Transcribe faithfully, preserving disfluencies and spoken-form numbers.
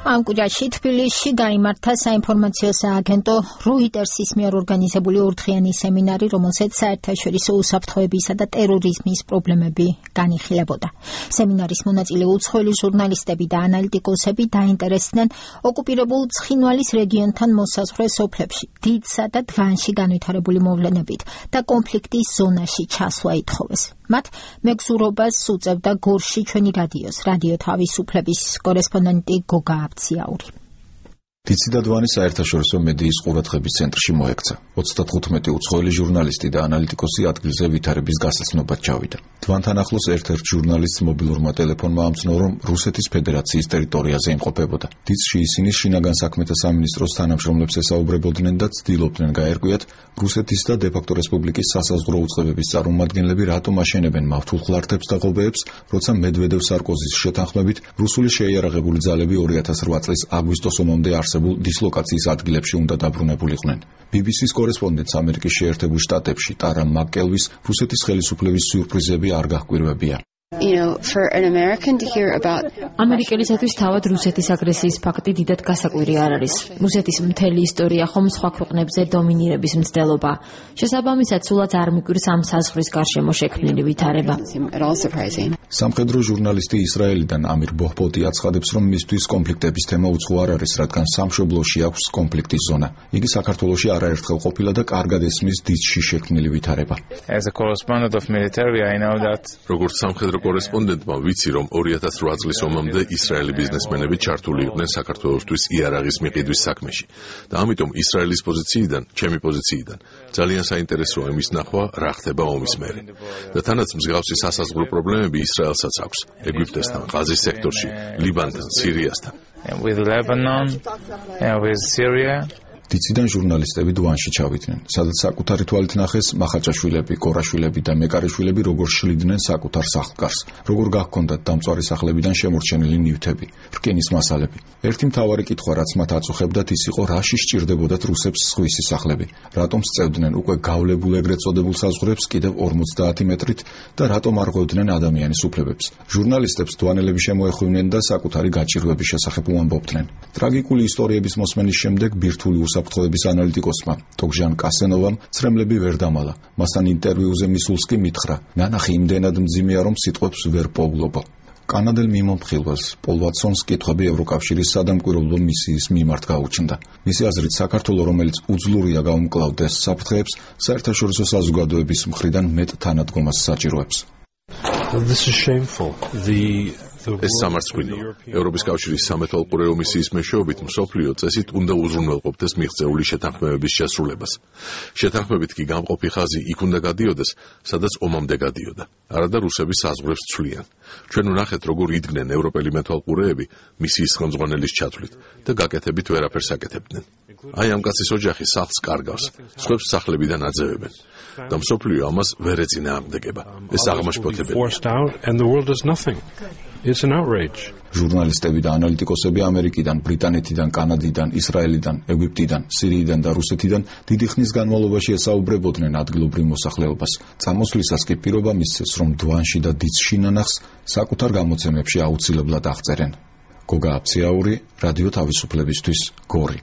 ამ კვირაში თბილისში გაიმართა საინფორმაციო სააგენტო როიტერსის მიერ ორგანიზებული ორდღიანი სემინარი, რომელსაც საერთაშორისო უსაფრთხოებისა და ტერორიზმის პრობლემები განიხილებოდა. სემინარის მონაწილე უცხოელი ჟურნალისტები და ანალიტიკოსები დაინტერესდნენ ოკუპირებულ ცხინვალის რეგიონთან მოსაზღვრე სოფლებში დიდსა და დვანში განვითარებული მოვლენებით და კონფლიქტის ზონაში ჩასვლა ითხოვეს. მათ მეგზურობას უწევდა გორში ჩვენი რადიოს, რადიო თავისუფლების კორესპონდენტი გოგა აბციაური. დიცი და დვანი საერთაშორისო მედიის ყურადღების ცენტრში მოექცა. ოცდათხუთმეტი უცხოელი ჟურნალისტი და ანალიტიკოსი ადგილზე ვითარების გასაცნობად ჩავიდა. დვანთან ახლოს ერთ-ერთ ჟურნალისტს მობილურმა ტელეფონმა ამცნო, რომ რუსეთის ფედერაციის ტერიტორიაზე იმყოფებოდა. დიცში ისინი შინაგან საქმეთა სამინისტროს თანამშრომლებს ესაუბრებოდნენ და ცდილობდნენ გაერკვიათ, რუსეთის და დე-ფაქტო რესპუბლიკის სასაზღვრო უწყებების წარმომადგენლები რატომ აშენებენ მავთულხლართებს და ღობეებს, როცა მედვედევ-სარკოზის შეთანხმებით რუსული შეიარაღებული ძალები ორი ათას რვა წლის აგვისტოს ომამდე არსებულ დისლოკაციის ადგილებში უნდა დაბრუნებულიყვნენ. ბი ბი სის კორესპონდენტს ამერიკის შეერთებულ შტატებში ტარა მაკკელვის რუსეთის ხელისუფლების სიურპრიზები არ გაჰკვირვებია. You know, for an American to hear about ამერიკელისათვის თავად რუსეთის აგრესიის ფაქტი დიდად გასაკვირი არ არის. რუსეთის მთელი ისტორია ხომ სხვა ქვეყნებზე დომინირების მცდელობა. შესაბამისად, სულაც არ მიკვირს ამ საზღვრის გარშემო შექმნილი ვითარება. სამხედრო ჟურნალისტი ისრაელიდან ამირ ბოჰბოტი აცხადებს, რომ მისთვის კონფლიქტების თემა უცხო არ არის, რადგან სამშობლოში აქვს კონფლიქტის ზონა. იგი საქართველოში არაერთხელ ყოფილა და კარგად ესმის დიცში შექმნილი ვითარება. As a correspondent of military, I know that როგორც სამხედრო კორესპონდენტმა ვიცი, რომ ორი ათას რვა წლის ომამდე ისრაელი ბიზნესმენები ჩართული იყვნენ საქართველოსთვის იარაღის მიყიდვის საქმეში და ამიტომ ისრაელის პოზიციიდან, ჩემი პოზიციიდან ძალიან საინტერესოა იმის ნახვა, რა ხდება ომის მერე. და თანაც მსგავსი სასაზღვრო პრობლემები ისრაელსაც აქვს, ეგვიპტესთან, ღაზის სექტორში, ლიბანთან, სირიასთან. with Lebanon and with Syria. დიციდან ჟურნალისტები დვანში ჩავიდნენ, სადაც საკუთარი თვალით ნახეს მახაჭაშვილები, კორაშვილები და მეკარიშვილები როგორ შლიდნენ საკუთარ სახლკარს, როგორ გაჰქონდათ დამწვარი სახლებიდან შემორჩენილი ნივთები, რკინის მასალები. ერთი მთავარი კითხვა, რაც მათ აწუხებდათ, ის იყო, რაში სჭირდებოდათ რუსებს სხვისი სახლები, რატომ სწევდნენ უკვე გავლებულ ეგრეთ წოდებულ საზღვრებს კიდევ ორმოცდაათი მეტრით და რატომ არ ღვევდნენ ადამიანის უფლებებს. ჟურნალისტებს დვანელები შემოეხვივნენ და საკუთარი გაჭირვების შესახებ უამბობდნენ. ტრაგიკული ისტორიების მოსმენის შემდეგ ბირთვული უსაფრთხოების ანალიტიკოსმა ტოგჟან კასენოვამ ცრემლები ვერ დამალა. მასთან ინტერვიუზე მისულს კი მითხრა, ნანახი იმდენად მძიმეა, რომ სიტყვებს ვერ პოვლობო. კანადელ მიმომხილველს პოლ ვატსონს კითხვები ევროკავშირის სადამკვირვებლო მისიის მიმართ გაუჩნდა. მისი აზრით, საქართველოს, რომელიც უძლურია გაუმკლავდეს საფრთხეებს, საერთაშორისო საზოგადოების მხრიდან მეტ თანადგომას საჭიროებს. This is shameful. The ეს სამარცხვინოა. ევროპის კავშირის სამეთვალყურეო მისიის მეშვეობით მსოფლიო წესით უნდა უზრუნველყოფდეს მიღწეული შეთანხმებების შესრულებას. შეთანხმებით კი გამყოფი ხაზი იქ უნდა გადიოდეს, სადაც ომამდე გადიოდა. არადა რუსების საზღვრებს ცვლიან. ჩვენ ვნახეთ, როგორ იდგნენ ევროპელი მეთვალყურეები მისიის ხელმძღვანელის ჩათვლით და გაკეთებით ვერაფერს აკეთებდნენ. აი ამ კაცის ოჯახი სახლს კარგავს, სხვებს სახლებიდან აძევებენ. და მსოფლიო ამას ვერ ეწინააღმდეგება. ეს აღმაშფოთებელია. It's an outrage. ჟურნალისტები და ანალიტიკოსები ამერიკიდან, ბრიტანეთიდან, კანადიდან, ისრაელიდან, ეგვიპტიდან, სირიიდან და რუსეთიდან დიდი ხნის განმავლობაში ესაუბრებოდნენ ადგილობრივ მოსახლეობას. წამოსვლისას კი პირობა მისცეს, რომ დვანში და დიცში ნანახს საკუთარ გამოცემებში აუცილებლად აღწერენ. გოგა აბციაური, რადიო თავისუფლებისთვის, გორი.